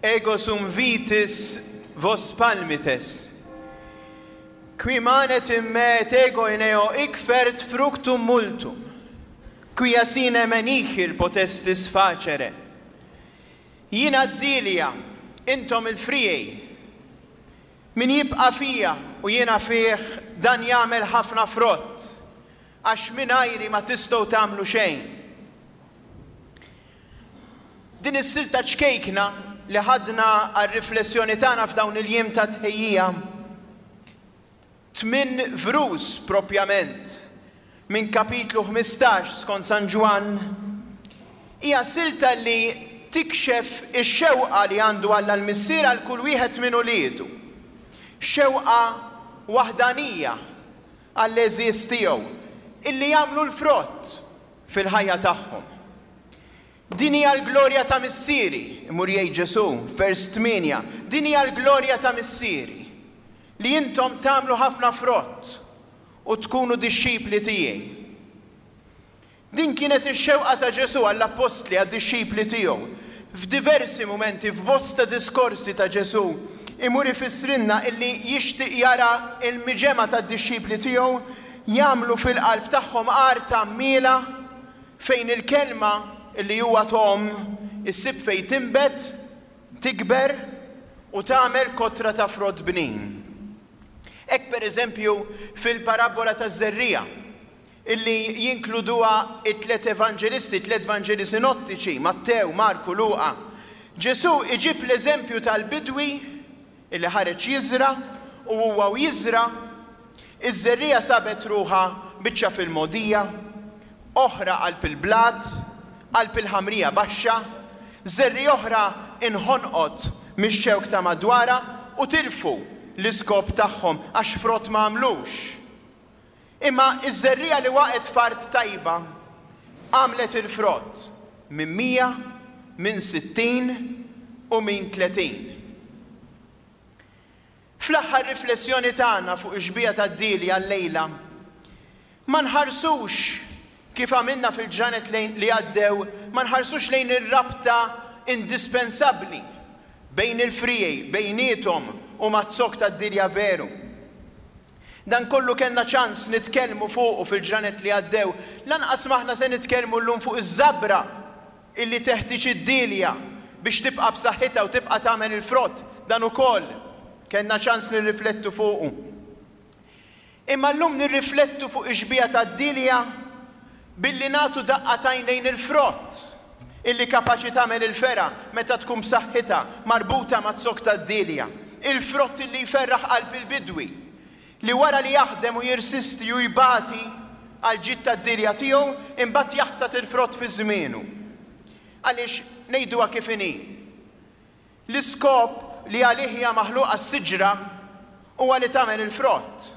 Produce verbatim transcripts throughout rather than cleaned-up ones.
Ego sum vitis vos palmites. Qui manet in me et ego in eo hic fert fructum multum, quia sine me nihil potestis facere. Jiena d-dielja, intom il-friegħi. Min jibqa' fija u jiena fih dan jagħmel ħafna frott, għax mingħajri ma tistgħu tagħmlu xejn. Din is-silta ċkejkna li ħadna għar-riflessjoni tagħna f'dawn il-jiem ta' tħejjija, tmien vrus propjament minn kapitlu ħmistax skont San Ġwann, hija silta li tikxef ix-xewqa li għandu Alla l-Missier għal kull wieħed minn uliedu. Xewqa waħdanija għall-għeżież tiegħu illi jagħmlu l-frott fil-ħajja tagħhom. Din hija l-glorja ta' Missieri, imur jgħid Ġesù, vers tmienja, din hija l-glorja ta' Missieri, li intom tagħmlu ħafna frott u tkunu dixxipli tiegħi. Din kienet ix-xewqa ta' Ġesù għall-appostli, għad-dixxipli tiegħu. F'diversi mumenti, f'bosta diskorsi ta' Ġesù, imur ifissrilna illi jixtieq jara l-miġemgħa tad-dixxipli tiegħu jagħmlu fil-qalb tagħhom art għammiela fejn il-kelma illi huwa togħom issib fejn tinbet, tikber u tagħmel kotra ta' frott bnin. Hekk pereżempju fil-parabbola taż-żerriegħa illi jinkluduha t-tliet evanġelisti, t-tliet vanġeli sinottiċi, Mattew, Marku, Luqa. Ġesù iġib l-eżempju tal-bidwi illi ħareġ jiżra' u huwa u jiżra' iż-żerriegħa sabet ruħha biċċa fil-mogħdija, oħra qalb il-blat, qalb il-ħamrija baxxa, żerriegħa oħra inħonqot mix-xewk ta' madwarha u tilfu l-iskop tagħhom għax frott ma għamlux. Imma ż-żerriegħa li waqgħet f'art tajba għamlet il-frott minn mija, minn sittin u minn tletin. Fl-aħħar riflessjoni tagħna fuq ix-xbieha tad-dielja llejla, ma nħarsux kif għamilna fil-ġranet li għaddew, ma nħarsux lejn ir-rabta indispensabbli bejn il-friegħi, bejniethom u maz-zokk tad-dielja veru. Dan kollu kellna ċans nitkellmu fuqu fil-ġranet li għaddew, lanqas m'aħna se nitkellmu llum fuq iż-żabra illi teħtieġ id-dielja biex tibqa' b'saħħitha u tibqa' tagħmel il-frott, dan ukoll kellna ċans nirriflettu fuqu. Imma llum nirriflettu fuq ix-xbieha tad-dielja billi nagħtu daqqa t'għajn lejn il-frott illi kapaċi tagħmel il-fergħa meta tkun b'saħħitha marbuta maz-zokk tad-dielja, il-frott illi jferraħ qalb il-bidwi, li wara li jaħdem u jirsisti u jbati għall-ġid tad-dielja tiegħu, imbagħad jaħsad il-frott fi żmienu. Għaliex, ngħiduha kif inhi, l-iskop li għalih hija maħluqa s-siġra huwa li tagħmel il-frott.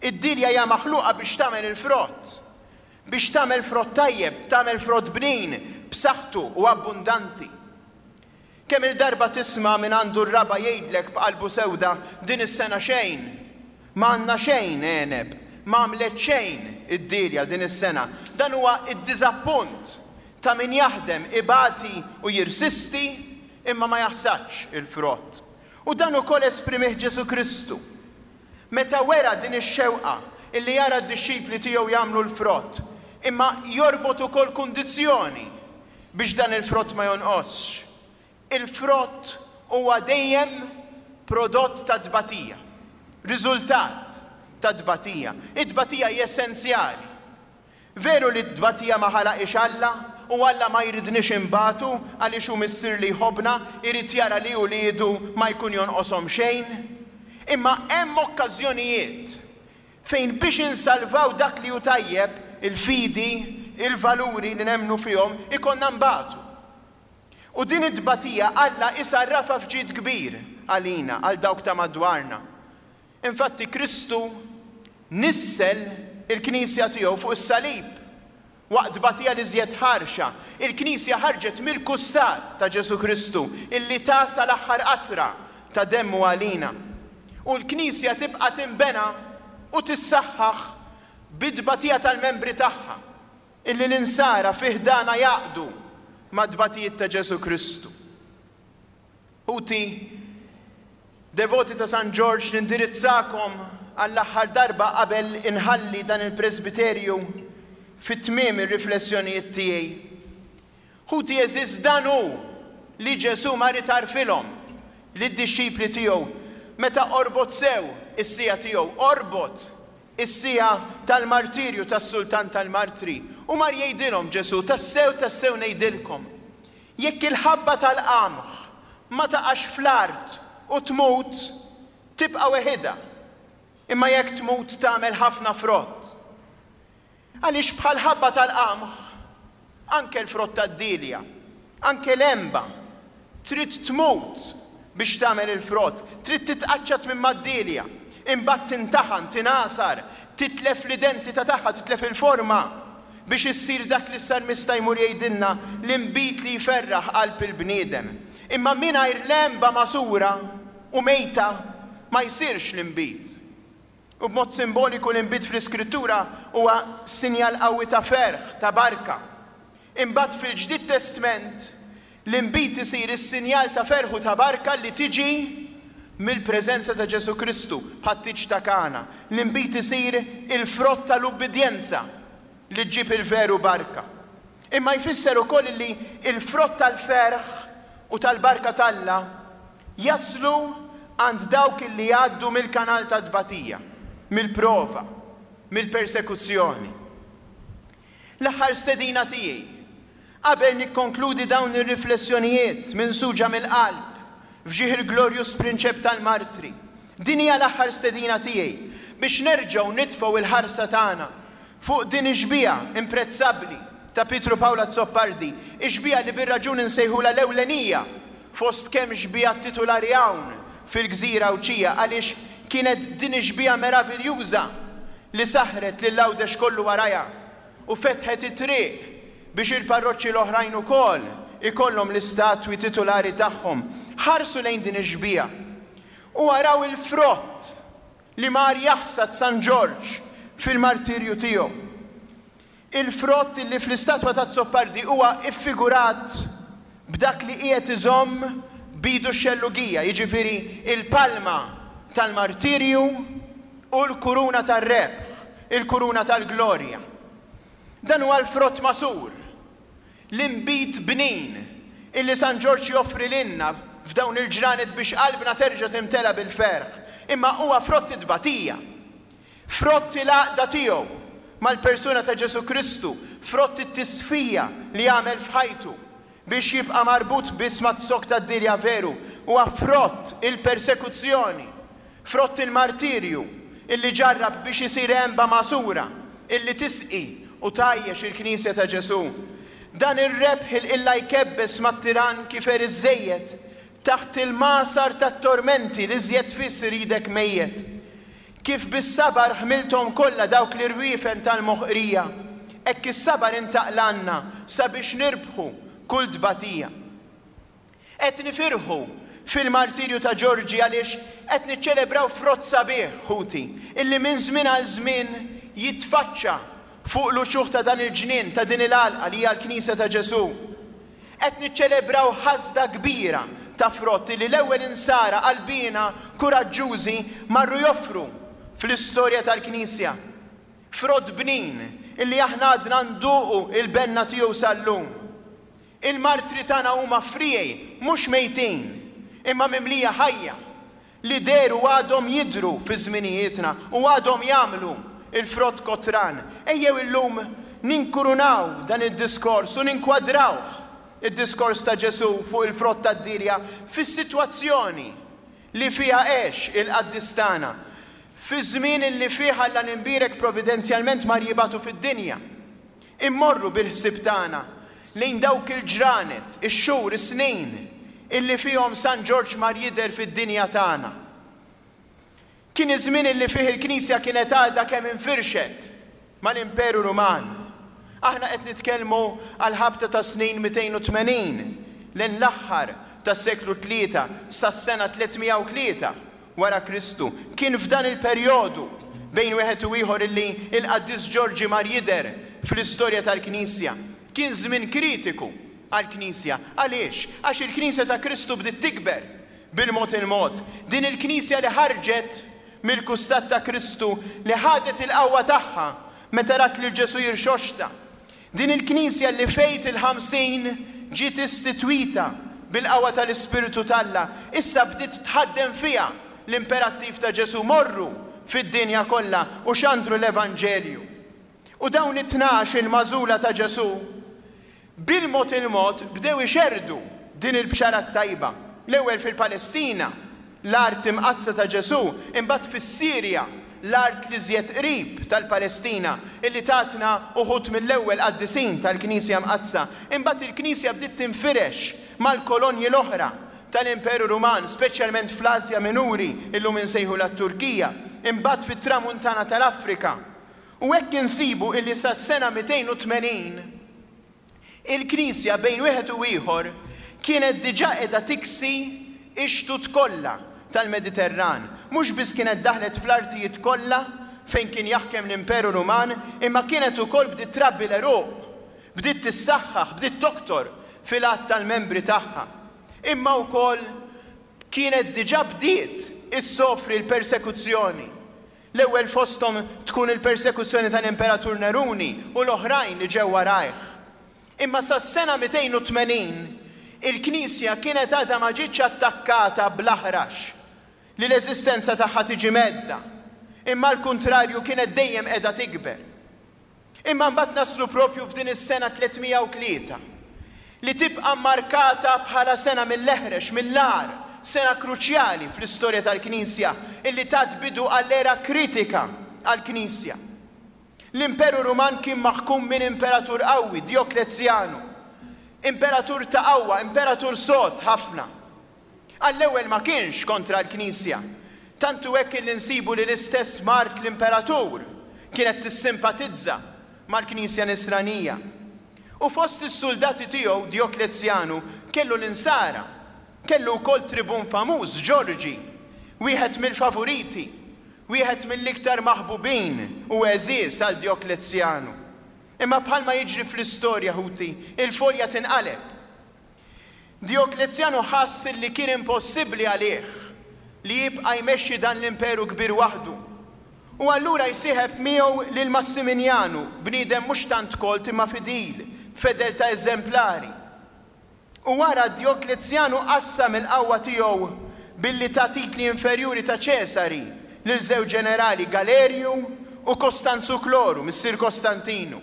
Id-dielja hija maħluqa biex tagħmel il-frott. Biex tagħmel frott tajjeb, tagħmel frott bnin, b'saħħtu u abbundanti. Kemm-il darba tisma' min għandu r-raba' jgħidlek b'qalbu sewda, din is-sena xejn, ma għandna xejn għeneb, ma għamlet xejn id-dielja din is-sena. Dan huwa d-diżappunt ta' min jaħdem, ibati u jirsisti imma ma jaħsadx il-frott. U dan ukoll esprimih Ġesù Kristu meta wera din ix-xewqa illi jara d-dixxipli tiegħu jagħmlu l-frott, imma jorbot ukoll kundizzjoni biex dan il-frott ma jonqosx. Il-frott huwa dejjem prodott ta' tbatija, riżultat ta' tbatija. It-tbatija hi essenzjali. Veru li t-tbatija ma ħalaqhiex Alla u Alla ma jridniex inbatu għaliex hu Missier li jħobbna, irid jara li uliedu ma jkun jonqoshom xejn. Imma hemm okkażjonijiet fejn biex insalvaw dak li hu tajjeb, il-fidi, il-valuri li nemmnu fihom, ikollna nbatu. U din it-tbatija Alla isarrafha f'ġid kbir għalina, għal dawk ta' madwarna. Infatti Kristu nissel il-Knisja tiegħu fuq is-salib waqt tbatija l-iżjed ħarxa. Il-Knisja ħarġet mill-kustat ta' Ġesù Kristu illi ta sal-aħħar qatra ta' demmu għalina. U l-Knisja tibqa' tinbena u tissaħħaħ bit-tbatija tal-membri tagħha, illi l-insara fi ħdanha jgħaqqdu mat-tbatijiet ta' Ġesù Kristu. Ħuti, devoti ta' San Ġorġ, nindirizzakom għall-aħħar darba qabel inħalli dan il-presbiterju fi tmiem ir-riflessjonijiet tiegħi. Ħuti għeżież, dan hu li Ġesù mar itarfilhom lid-dixxipli tiegħu meta qorbot sew is-siegħa tiegħu, qorbot is-siegħa tal-martirju tas-sultan tal-martri. U mar jgħidilhom Ġesù, tassew tassew ngħidilkom, jekk il-ħabba tal-qamħ ma taqax fl-art u tmut, tibqa' weħidha, imma jekk tmut tagħmel ħafna frott. Għaliex bħal ħabba tal-qamħ, anke l-frott tad-dilja, anke l-għenba, trid tmut biex tagħmel il-frott, trid titqaċċat minn mad-dilja, imbagħad tintaħan, tingħasar, titlef l-identità tagħha, titlef il-forma biex issir dak li s-salmista jmur jgħidilna, l-inbid li jferraħ qalb il-bniedem. Imma mingħajr l-għenba magħsura u mejta ma jsirx l-inbid. U b'mod simboliku l-inbid fl-Iskrittura huwa sinjal qawwi ta' ferħ, ta' barka. Imbagħad fil-Ġdid Testment l-inbid isir is-sinjal ta' ferħ u ta' barka li tiġi mill-preżenza ta' Ġesù Kristu bħat-tieġ ta' Kana. L-inbid isir il-frott tal-ubbidjenza li ġġib il-veru barka. Imma jfisser ukoll li l-frott tal-ferħ u tal-barka t'Alla jaslu għand dawk li jgħaddu mill-kanal ta' tbatija, mill-prova, mill-persekuzzjoni. L-aħħar stedina tiegħi, qabel nikkonkludi dawn ir-riflessjonijiet minsuġa mill-qalb f'ġieħ il-glorjus prinċep tal-martri, din hija l-aħħar stedina tiegħi biex nerġgħu nitfgħu il-ħarsa tagħna fuq din ix-xbieha imprezzabbli ta' Pietru Pawl Azzopardi, ix-xbieha li bir-raġun insejħulha l-ewlenija fost kemm xbieha titulari hawn fil-gżira Għawdxija, għaliex kienet din ix-xbieha meraviljuża li saħret lil Għawdex kollu warajha u fetħet it-triq biex il-parroċċi l-oħrajn ukoll ikollhom l-istatwi titulari tagħhom. Ħarsu lejn din ix-xbieha u araw il-frott li mar jaħsad San Ġorġ fil-martirju tiegħu. Il-frott li fl-istatwa ta' Azzopardi huwa iffigurat b'dak li qiegħed iżomm bidu x-xellugija, jiġifieri il-palma tal-martirju u l-kuruna tar-rebħ, il-kuruna tal-glorja. Dan huwa l-frott masur, l-inbid bnin illi San Ġorġ joffri lilna f'dawn il-ġranet biex qalbna terġa' timtela bil-ferħ, imma huwa frott it-tbatija, frott il-għaqda tiegħu mal-persuna ta' Ġesù Kristu, frott it-tisfija li għamel f'ħajtu biex jibqa' marbut biss mat-zokk tad-dilja veru, huwa frott il-persekuzzjoni, frott il-martirju illi ġarrab biex isir għenba magħsura illi tisqi u tgħajjex il-Knisja ta' Ġesù. Dan ir-rebħ il-qilla jkebbes mat-tiran kif għer iżżejjed taħt il-magħsar tat-tormenti li żjed fiss iridek mejjet. Kif bis-sabar ħmilthom kollha dawk l-irwiefen tal-moħqrija, hekk is-sabar intaqlanna sabiex nirbħu kull tbatija. Qed nifirħu fil-martirju ta' Ġorġi għaliex qed niċċelebraw frott sabiħ, ħuti, illi minn żmien għal żmien jitfaċċa fuq l-uċuħ ta' dan il-ġnien, ta' din il-għalqa li hija l-Knisja ta' Ġesù. Qed niċċelebraw ħasda kbira ta' frott li l-ewwel insara qalbina kuraġġużi marru joffru fl-istorja tal-Knisja. Frott bnin illi aħna għadna nduqu il-benna tiegħu sal-lum. Il-martri tagħna huma friegħi, mhux mejtin, imma mimlija ħajja, li dehru għadhom jidhru fi żminijietna u għadhom jagħmlu il-frott kotran. Ejjew illum ninkurunaw dan id-diskors u ninkwadrawh id-diskors ta' Ġesù fuq il-frott tad-dilja fis-sitwazzjoni li fiha għex il-qaddis tagħna, fi żmien li fih Alla l-imbierek providenzjalment mar jibgħatu fid-dinja. Immorru bil-ħsieb tagħna lejn dawk il-ġranet, ix-xhur, is-snin illi fihom San Ġorġ mar jidher fid-dinja tagħna. Kien iż-żmien illi fih il-Knisja kienet għadha kemm infirxet mal-Imperu Ruman. Aħna qed nitkellmu għal ħabta ta' snin mitejn u tmenin lejn l-aħħar tas-seklu tlieta sas-sena tlietmija u tlieta wara Kristu. Kien f'dan il-perjodu bejn wieħed u ieħor illi l-Qaddis Ġorġi mar jidher fl-istorja tal-Knisja. Kien żmien kritiku għall-Knisja. Għaliex? Għax il-Knisja ta' Kristu bdiet tikber. bil-mod il-mod. Din il-Knisja li ħarġet mill-kustat ta' Kristu, li ħadet il-qawwa tagħha meta rat lil Ġesù jirxoxta. Din il-Knisja li f'Għid il-Ħamsin ġiet istitwita bil-qawwa tal-Ispirtu t'Alla, issa bdiet tħaddem fiha l-imperattiv ta' Ġesù: morru fid-dinja kollha u xandru l-Evanġelju. U dawn it-tnax il-magħżula ta' Ġesù bil-mod il-mod bdew ixerrdu din il-bxara t-tajba, l-ewwel fil-Palestina, l-art imqaddsa ta' Ġesù, imbagħad fis-Sirja, l-art l-iżjed qrib tal-Palestina, illi tatna uħud mill-ewwel qaddisin tal-Knisja Mqaddsa. Imbagħad il-Knisja bdiet tinfirex mal-kolonji l-oħra tal-Imperu Ruman, speċjalment fl-Asja Minuri, illum insejħulha t-Turkija, imbagħad fit-Tramuntana tal-Afrika. U hekk insibu illi sas-sena mitejn u tmenin il-Knisja bejn wieħed u ieħor kienet diġà qiegħda tiksi x-xtut kollha tal-Mediterran. Mhux biss kienet daħlet fl-artijiet kollha fejn kien jaħkem l-Imperu Ruman, imma kienet ukoll bdiet trabbi l-għeruq, bdiet tissaħħaħ, bdiet toktor fil-għadd tal-membri tagħha. Imma wkoll kienet diġà bdiet issofri l-persekuzzjoni. L-ewwel fosthom tkun il-persekuzzjoni tal-Imperatur Neruni u l-oħrajn li ġew warajh. Imma sas-sena mitejn u tmenin il-Knisja kienet għadha ma ġietx attakkata bl-aħrax li l-eżistenza tagħha tiġi medda, imma l-kuntrarju kienet dejjem qiegħda tikber. Imma mbagħad naslu propju f'din is-sena tlietmija u tlieta, li tibqa' markata bħala sena mill-eħrex, mill-agħar, sena kruċjali fl-istorja tal-Knisja, illi tat bidu għall-era kritika għall-Knisja. L-Imperu Ruman kien maħkum minn imperatur qawwi, Dioklezjanu. Imperatur ta' qawwa, imperatur sod ħafna. Għall-ewwel ma kienx kontra l-Knisja. Tantu hekk li nsibu li l-istess mart l-imperatur kienet tissimpatizza mal-Knisja Nisranija. U fost is-soldati tiegħu Dioklezjanu kellu l-insara, kellu wkoll tribun famuż, Ġorġi, wieħed mill-favoriti, wieħed mill-iktar maħbubin u għeżież għal Dioklezjanu. Imma bħalma jiġri fl-istorja, ħuti, il-folja tinqaleb. Dioklezjanu ħass li kien impossibbli għalih li jibqa' jmexxi dan l-imperu kbir waħdu. U allura jsieħeb miegħu lil Massimilianu, bniedem mhux tant kolt imma fidil, fedeltà eżemplari. U wara Dioklezjanu qassam il-qawwa tiegħu billi ta' titli inferjuri ta' Ċesari lil żewġ ġenerali, Galerju u Kostanzu Kloru, missier Kostantinu.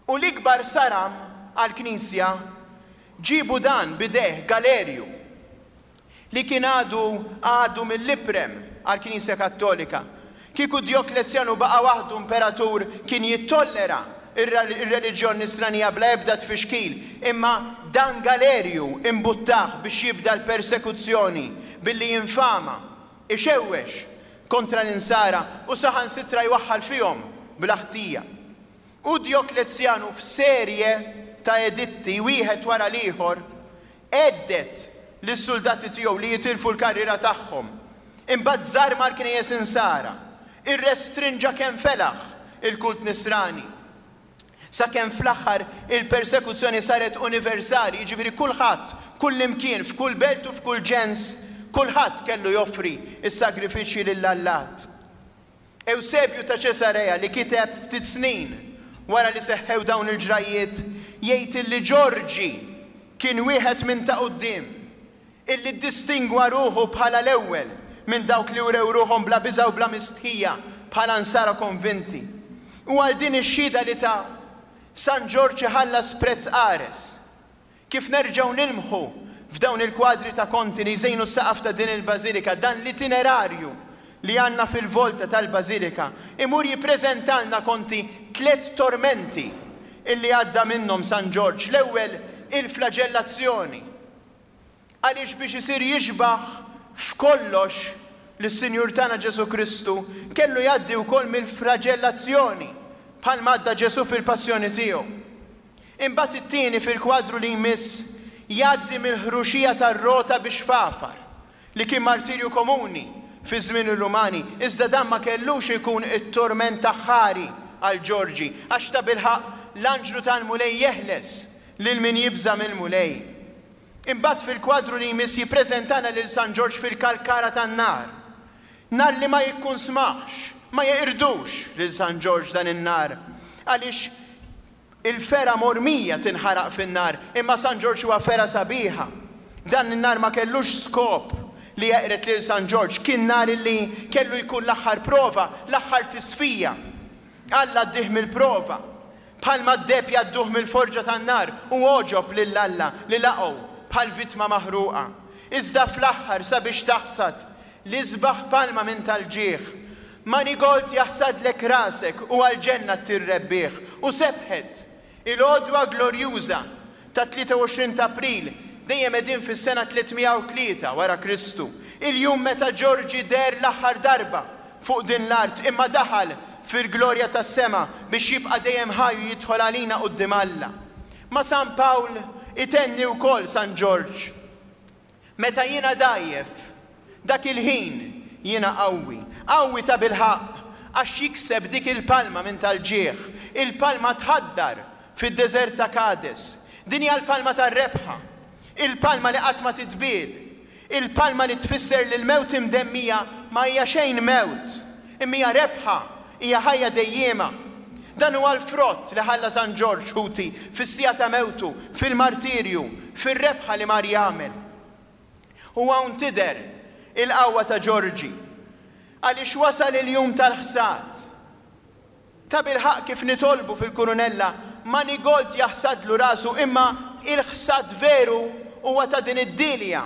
U l-ikbar saram għall-Knisja ġibu dan bideh Galerju, li kien għadu għadu mill-iprem għall-Knisja Kattolika. Kieku Dioklezjanu baqa' waħdu imperatur kien jittollera ir-reliġjon nisranija bla ebda tfixkil, imma dan Galerju imbuttah biex jibda l-persekuzzjoni billi jinfama, ixewwex kontra l-insara u saħansitra jwaħħal fihom bla ħtija. U Dioklezjanu f'serje ta' editti wieħed wara l-ieħor għeddet lis-soldati tiegħu li jitilfu l-karriera tagħhom. Imbagħad żarma l-knejjes insara, irrestrinġa kemm felaħ il-kult nisrani. Sakemm fl-aħħar il-persekuzzjoni saret universali, jiġifieri kulħadd, kull imkien, f'kull belt u f'kull ġens, kulħadd kellu joffri s-sagrifiċċji lill-allat. Eusebju ta' Ċesarea li kiteb ftit snin wara li seħħew dawn il-ġrajiet jgħid li Ġorġi kien wieħed minn ta' quddiem illi ddistingwa ruħu bħala l-ewwel minn dawk li wrew ruħhom bla biża' u bla mistħija bħala nsara konvinti. U għal din ix-xhieda li ta' San Ġorġ iħallas prezz qares. Kif nerġgħu nilmħu f'dawn il-kwadri ta' Conti li jżejnu s-saqaf ta' din il-bażilika, dan l-itinerarju li għandna fil-volta tal-bażilika, imur jippreżentalna Conti tliet tormenti illi għadda minnhom San Ġorġ. L-ewwel il-flagellazzjoni. Għaliex biex isir jixbaħ f'kollox lis-Sinjur tagħna Ġesu Kristu kellu jgħaddi wkoll mill-flagellazzjoni bħalma għadda Ġesu fil-passjoni tiegħu. Imbagħad it-tieni fil-kwadru li jmiss jgħaddi mill-ħruxija tar-rota biex fafar, li kien martirju komuni fi żmien ir-Rumani, iżda dan ma kellux ikun it-torment aħħari għal Ġorġi, għax ta' bilħaqq l-anġlu tal-Mulej jeħles lil min jibża' mill-Mulej. Imbagħad fil-kwadru li jmiss jippreżentana lil San Ġorġ fil-kalkara tan-nar. Nar li ma jikkunsmax, ma jeqirdux lil San Ġorġ dan in-nar. Għaliex il-fergħa mormija tinħaraq fin-nar, imma San Ġorġ huwa fergħa sabiħa. Dan in-nar ma kellux skop li jeqred lil San Ġorġ, kien nar li kellu jkun l-aħħar prova, l-aħħar tisfija. Alla għaddih mill-prova. Bħalma d-deheb jgħadduh mill-forġa tan-nar u għoġob lil Alla li laqgħu bħal vittma maħruqa. Iżda fl-aħħar sabiex taħsad l-isbaħ palma minn tal-ġieħ. Manigold jaħsadlek rasek u għall-ġenna ttir rebbieħ. U sebħet il-għodwa glorjuża ta' tlieta u għoxrin ta' April, dejjem qegħdin fis-sena tliet mija u tlieta wara Kristu, il-jum meta Ġorġi deher l-aħħar darba fuq din l-art, imma daħal fil-glorja tas-sema biex jibqa' dejjem ħaj u jidħol għalina quddiem Alla. Ma' San Pawl itenni wkoll San Ġorġ, meta jiena dgħajjef, dak il-ħin jiena qawwi, qawwi ta' bilħaqq, għax jikseb dik il-palma minn tal-ġieħ, il-palma tħaddar fid-deżert ta' Kades. Din hija l-palma tar-rebħa, il-palma li qatt ma titbiel, il-palma li tfisser li l-mewt imdemmija ma hija xejn mewt, imma hija rebħa, hija ħajja dejjiema. Dan huwa l-frott li ħalla San Ġorġ ħuti fis-siegħa ta' mewtu, fil-martirju, fir-rebħa li mar jagħmel. U hawn tidher il-qawwa ta' Ġorġi, għaliex wasal il-jum tal-ħsad. Ta' bilħaqq kif nitolbu fil-kurunella, manigold jaħsadlu rasu, imma il-ħsad veru huwa ta' din id-dilja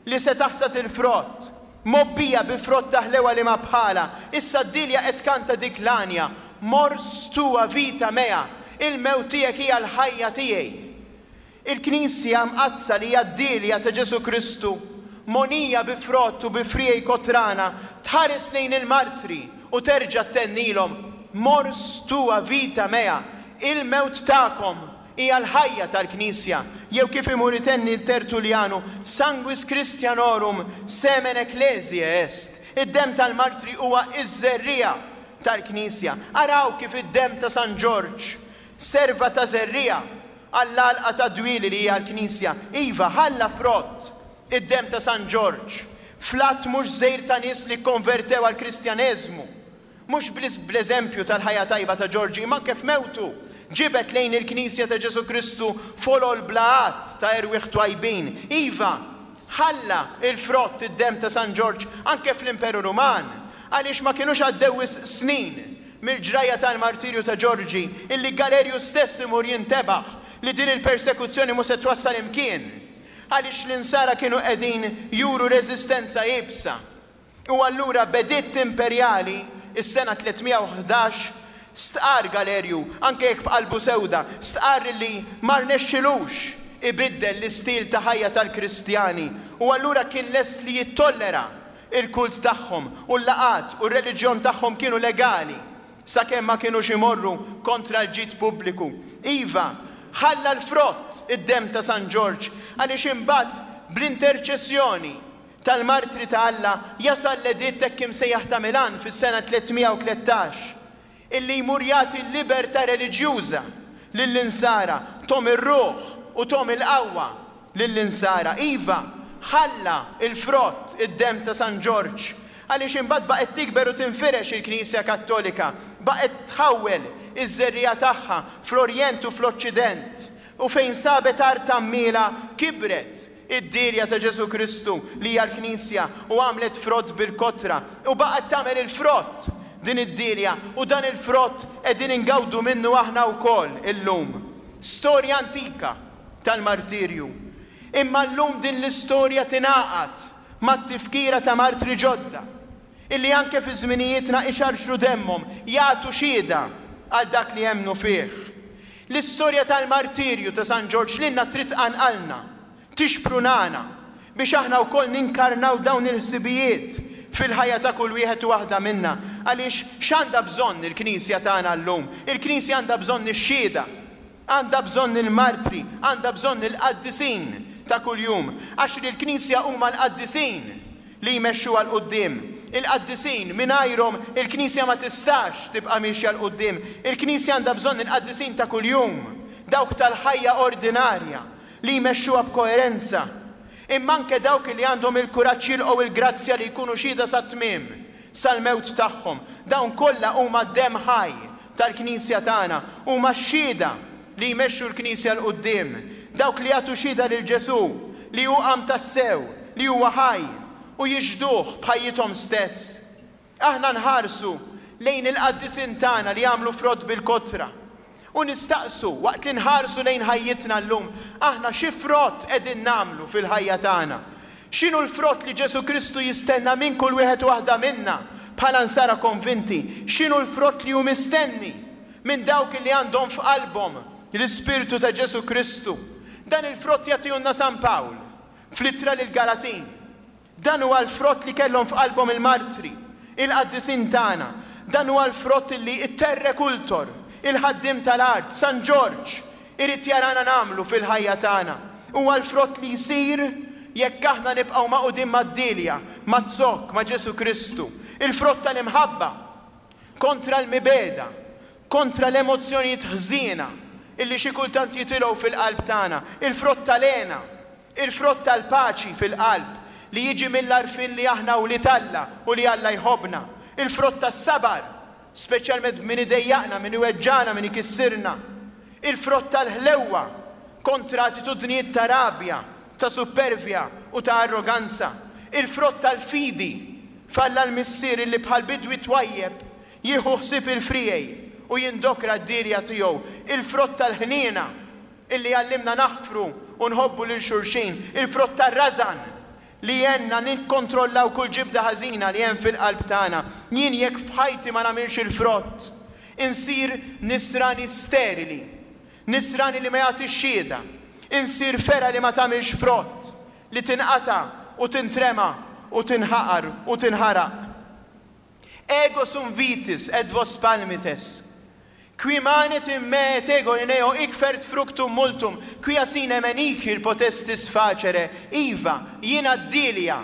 li se taħsad il-frott, mobbija bi frott ta' ħlewa li ma bħala. Issa d-dilja qed tkanta dik l-għanja, mors tua vita mea, il-mewt tiegħek hija l-ħajja tiegħi. Il-Knisja mqaddsa li hija d-dilja ta' Ġesu Kristu, monija bi frott u bi friegħi kotrana, tħares lejn il-martri u terġa' tennilhom, mors tua vita mea, il-mewt tagħkom hija l-ħajja tal-Knisja, jew kif imur itenni Tertullianu, sanguis Christianorum semen ecclesiae est. Id-demm tal-martri huwa iż-żerriegħa tal-Knisja. Araw kif id-demm ta' San Ġorġ serva ta' żerriegħa għall-għalqa ta' dwieli li hija l-Knisja. Iva, ħalla frott id-demm ta' San Ġorġ fl-att mhux żgħir ta' nies li kkonvertew għall-Kristjaneżmu. Mhux biss bl-eżempju tal-ħajja tajba ta' Ġorġi, imma kif mewtu ġibet lejn il-Knisja ta' Ġesu Kristu folol bla għadd ta' erwieħ twajbin. Iva, ħalla il-frott id-demm ta' San Ġorġ anke fl-Imperu Ruman, għaliex ma kienux għaddew wisq snin mill-ġrajja tal-martirju ta' Ġorġi illi Galerju stess imur jintebaħ li din il-persekuzzjoni mhux se twassal imkien, għaliex l-insara kienu qegħdin juru reżistenza iebsa. U allura b'editt imperjali is-sena tliet mija u ħdax stqar Galerju, anke jekk b'qalbu sewda, stqar li ma rnexxilux ibiddel l-istil ta' ħajja tal-Kristjani, u allura kien lest li jittollera il-kult tagħhom u l-laqat u r-reliġjon tagħhom kienu legali sakemm ma kienux imorru kontra l-ġid pubbliku. Iva, ħalla l-frott id-demm ta' San Ġorġ, għaliex imbagħad bl-interċessjoni tal-martri ta' Alla jasal l-editt hekk imsejjaħ ta' Milan fis-sena tliet mija u tlettax, illi jmur jagħti l-libertà reliġjuża lill-insara, tom ir-ruħ u tom il-qawwa lill-insara. Iva, ħalla il-frott id-demm ta' San Ġorġ, għaliex imbagħad baqgħet tikber u tinfirex il-Knisja Kattolika, baqgħet tħawwel iż-żerriegħa tagħha fl-Orjent u fl-Oċċident, u fejn sabet art għammiela kibret id-dirja ta' Ġesu Kristu li hija l-Knisja u għamlet frott bil-kotra u baqgħet tagħmel il-frott din id-dirja, u dan il-frott qegħdin ingawdu minnu aħna wkoll illum. Storja antika tal-martirju. Imma llum din l-istorja tingħaqad mat-tifkira ta' martri ġodda illi anke fi żminijietna ixarxru demmhom jagħtu xhieda għal dak li jemmnu fih. L-istorja tal-martirju ta' San Ġorġ lilna trid tqanqalna, tixprunana biex aħna wkoll ninkarnaw dawn il-ħsibijiet fil-ħajja ta' kull wieħed u waħda minna. Għaliex x'għandha bżonn il-Knisja tagħna llum? Il-Knisja għandha bżonn ix-xhieda, għandha bżonn il-martri, għandha bżonn il-qaddisin ta' kuljum, għax li l-Knisja huma l-qaddisin li jmexxuha 'l quddiem. Il-qaddisin mingħajrhom il-Knisja ma tistax tibqa' miexja 'l quddiem. Il-Knisja għandha bżonn il-qaddisin ta' kuljum, dawk tal-ħajja ordinarja, li jmexxuha b'koerenza, imma anke dawk li għandhom il-kuraġġ jilqgħu il-grazzja li jkunu xhieda sat-tmiem, sal-mewt tagħhom. Dawn kollha huma d-demm ħaj tal-Knisja tagħna, huma x-xhieda li jmexxu l-Knisja 'l quddiem, dawk li jagħtu xhieda lil Ġesù li hu qam tassew, li huwa ħaj, u jixhduh b'ħajjithom stess. Aħna nħarsu lejn il-qaddisin tagħna li jagħmlu frott bil-kotra. U nistaqsu, waqt li nħarsu lejn ħajjitna llum, aħna xi frott qegħdin nagħmlu fil-ħajja tagħna? X'inhu l-frott li Ġesù Kristu jistenna minn kull wieħed u waħda minna bħala nsara konvinti? X'inhu l-frott li hu mistenni minn dawk li għandhom f'qalbhom l-Ispirtu ta' Ġesù Kristu? Dan il-frott jagħtihulna San Pawl fl-ittra lill-Galatin. Dan huwa l-frott li kellhom f'qalbhom il-martri, il-qaddisin tagħna. Dan huwa l-frott li t-terrekultor, il-ħaddiem tal-art, San Ġorġ, irid jarana nagħmlu fil-ħajja tagħna. Huwa l-frott li jsir jekk aħna nibqgħu magħqudin mad-dielja, maz-zokk, ma' Ġesù Kristu. Il-frott tal-imħabba kontra l-mibegħda, kontra l-emozzjonijiet ħżiena illi xi kultant jitilgħu fil-qalb tagħna. Il-frott tal-hena, il-frott tal-paċi fil-qalb li jiġi mill-għarfien li aħna wlied Alla u li Alla jħobbna. Il-frott tas-sabar, speċjalment min idejjaqna, min iweġġagħna, min ikissirna. Il-frott tal-ħlewwa kontra attitudnijiet ta' rabja, ta' suppervja u ta' arroganza. Il-frott tal-fidi f'Alla l-Missier illi bħal bidwi twajjeb jieħu ħsieb il-friegħi u jindokra d-dielja tiegħu. Il-frott tal-ħniena illi jgħallimna naħfru u nħobbu lil xulxin. Il-frott tar-rażan li jgħinna nikkontrollaw kull ġibda ħażina li hemm fil-qalb tagħna. Jien jekk f'ħajti ma nagħmilx il-frott, insir nisrani sterili, nisrani li ma jagħtix xhieda, insir fergħa li ma tagħmilx frott, li tinqata' u tintrema u tinħaqar u tinħaraq. Ego sum vitis et vos palmites, qui manet in me et ego in eo hic fert fructum multum, quia sine me nihil potestis facere. Iva, jiena d-dielja,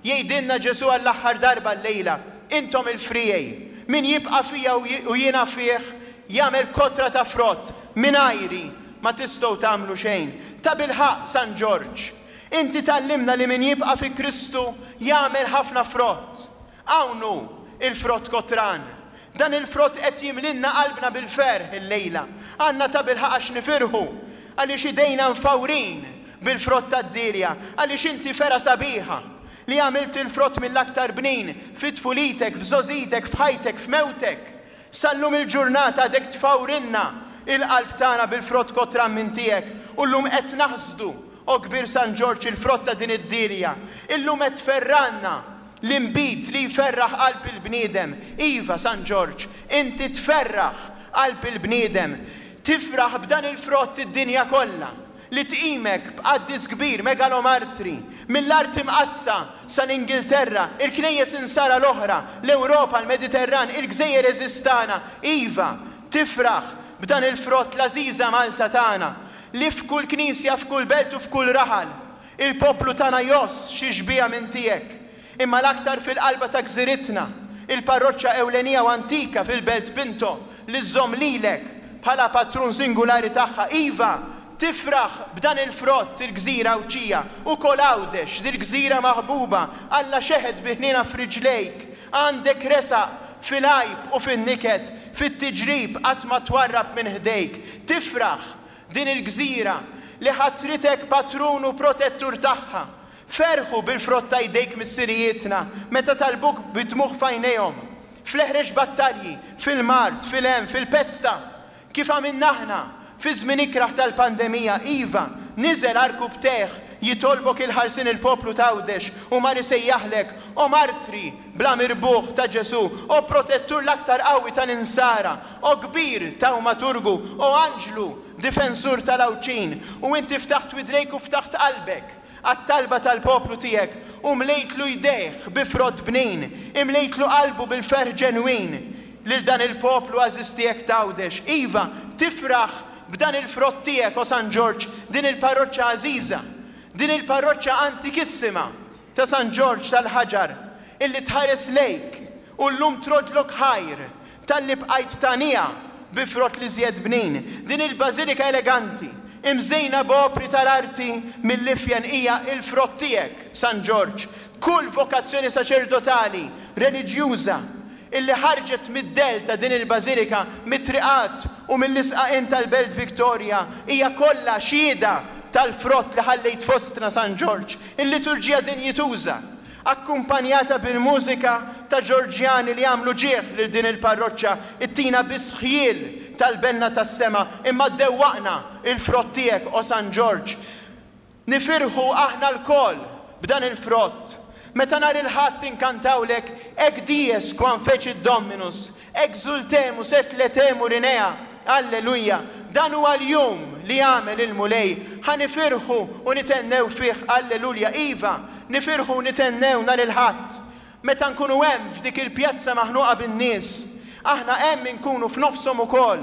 jgħidilna Ġesù għall-aħħar darba llejla, intom il-friegħi, min jibqa' fija u jiena fih jagħmel kotra ta' frott, mingħajri ma tistgħu tagħmlu xejn. Tabilħaqq, San Ġorġ, inti tgħallimna li min jibqa' fi Kristu jagħmel ħafna frott. Hawn hu il-frott kotran. Dan il-frott qed jimlilna qalbna bil-ferħ illejla. Għandna tabilħaqq għax nifirħu, għaliex idejna mfawrin bil-frott tad-dielja, għaliex inti fergħa sabiħa li għamilt il-frott mill-aktar bnin fi tfulitek, f'żgħożitek, f'ħajtek, f'mewtek. Sal-lum il-ġurnata għadek tfawrilna il-qalb tagħna bil-frott kotran minn tiegħek, u llum qed naħsdu, o kbir San Ġorġ, il-frott ta' din id-dielja. Illum qed tferranna l-inbid li jferraħ qalb il-bniedem. Iva, San Ġorġ, inti tferraħ qalb il-bniedem. Tifraħ b'dan il-frott id-dinja kollha, li tqimek b'qaddis kbir, megalomartri, mill-art imqaddsa sal-Ingilterra, il-knejjes insara l-oħra, l-Ewropa, l-Mediterran, il-gżejjer eżistana. Iva, tifraħ b'dan il-frott l-għażiża Malta tagħna, li f'kull knisja, f'kull belt u f'kull raħal, il-poplu tagħna jgħożż xi xbieha minn tiegħek. Imma l-aktar fil-qalba ta' gżiritna, il-parroċċa ewlenija u antika fil-Belt Pinto, li żżomm lilek bħala patrun singulari tagħha. Iva, tifraħ b'dan il-frott il-gżira Għawdxija, ukoll Għawdex, dil-gżira maħbuba, Alla xeħet bi ħniena f'riġlejk, għandek resaq fil-għajb u fin-niket, fit-tiġrib qatt ma twarrab minn ħdejk. Tifraħ din il-gżira li ħatritek patrun u protettur tagħha. Ferħu bil-frott ta' jdejk missirijietna meta talbuk bid-dmugħ f'għajnejhom, fl-eħrex battalji, fil-mard, fil-hemm, fil-pesta, kif għamilna aħna fi żmien ikrah tal-pandemija. Iva, niżel għarkupptejh jitolbok il-ħarsien il-poplu t'Għawdex u mar isejjaħlek, o martri bla mirbuħ ta' Ġesù, o protettur l-aktar qawwi tal-insara, o kbir tawmaturgu, o anġlu difensur tal-Għawdxin. U inti ftaħt widnejk u ftaħt qalbek għat-talba tal-poplu tiegħek u mlejtlu jdejh bi frott bnin, imlejtlu qalbu bil-ferħ ġenwin lil dan il-poplu għażiż tiegħek t'Għawdex. Iva, tifraħ b'dan il-frott tiegħek, o San Ġorġ, din il-parroċċa għażiża, din il-parroċċa antikissima ta' San Ġorġ tal-Ħaġar, illi tħares lejk u llum trodlok ħajr talli bqajt tagħniha bi frott li żjed bnin, din il-bażilika eleganti imżejna b'opri tal-arti mill-ifjen hija l-frott tiegħek, San Ġorġ. Kull vokazzjoni saċerdotali, reliġjuża, illi ħarġet mid-dell ta' din il-bażilika, mit-triqat u mill-isqaqien tal-Belt Victoria, hija kollha xhieda tal-frott li ħallejt fostna, San Ġorġ. Il-liturġija dinjituża, akkumpanjata bil-mużika ta' Ġorġjani li għamlu ġieħ lil din il-parroċċa, ittina biss ħjiel tal-benna tas-sema, imma ddewwaqna il-frott tiegħek, o San Ġorġ. Nifirħu aħna lkoll b'dan il-frott. Meta nhar il-Ħadd inkantawlek "Haec dies quam fecit Dominus, exultemus et laetemur in ea", Alleluja, dan huwa l-jum li għamel il-Mulej, ħa nifirħu u nithennew fih, Alleluja. Iva, nifirħu u nithennew nhar il-Ħadd. Meta nkunu hemm f'dik il-pjazza maħnuqa bin-nies, aħna hemm inkunu f'nofshom ukoll.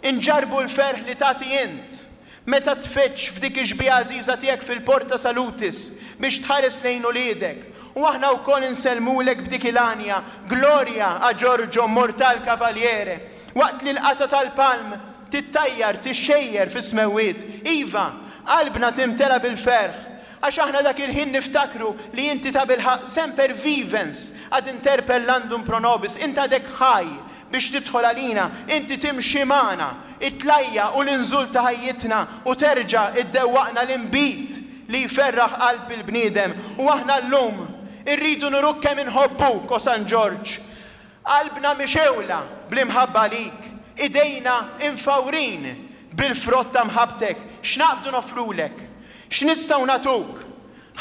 Inġarbu l-ferħ li tagħti int. Meta tfittx f'dik ix-xbieha għażiża tiegħek fil-Porta Salutis biex tħares lejn uliedek, u aħna wkoll insellmulek b'dik il-għanja, "Gloria a Giorgio Mortal Cavaliere", waqt li l-qata tal-palm tittajjar tixxejjer fis-smewwiet. Iva, qalbna timtela bil-ferħ, għax aħna dak il-ħin niftakru li inti ta' bilħaqq semper vivens ad interpellandum pro nobis, inti għadek ħaj biex tidħol għalina, inti timxi magħna, it-tlajja' u l-inżul ta' ħajjitna u terġa' iddewwaqna l-inbid li jferraħ qalb il-bniedem. U aħna llum irridu nuruk kemm inħobbuk, o San Ġorġ. Qalbna mixgħula bl-imħabba għalik, idejna imfawrin bil-frott ta' mħabbtek. X'naqbdu nofrulek? X'nistgħu nagħtuk?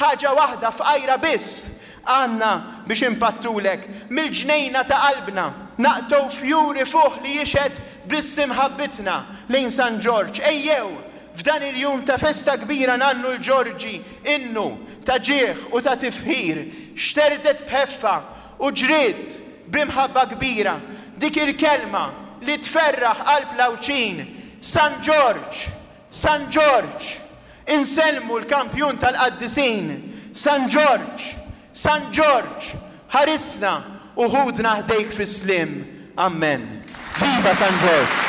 Ħaġa waħda fqajra biss għandna biex impattulek. Mill-ġnejna ta' qalbna naqtgħu fjur ifuħ li jixhed biss imħabbitna lejn San Ġorġ. Ejjew f'dan il-jum ta' festa kbira ngħannu l-Ġorġi innu ta' ġieħ u ta' tifħir. Xterdet b'ħeffa u ġriet b'imħabba kbira dik il-kelma li tferraħ qalb l-Għawdxin: San Ġorġ, San Ġorġ, insellmu l-kampjun tal-qaddisin. San Ġorġ, San Ġorġ, ħarisna u ħudna ħdejk fis-sliem. Amen. Viva San Ġorġ!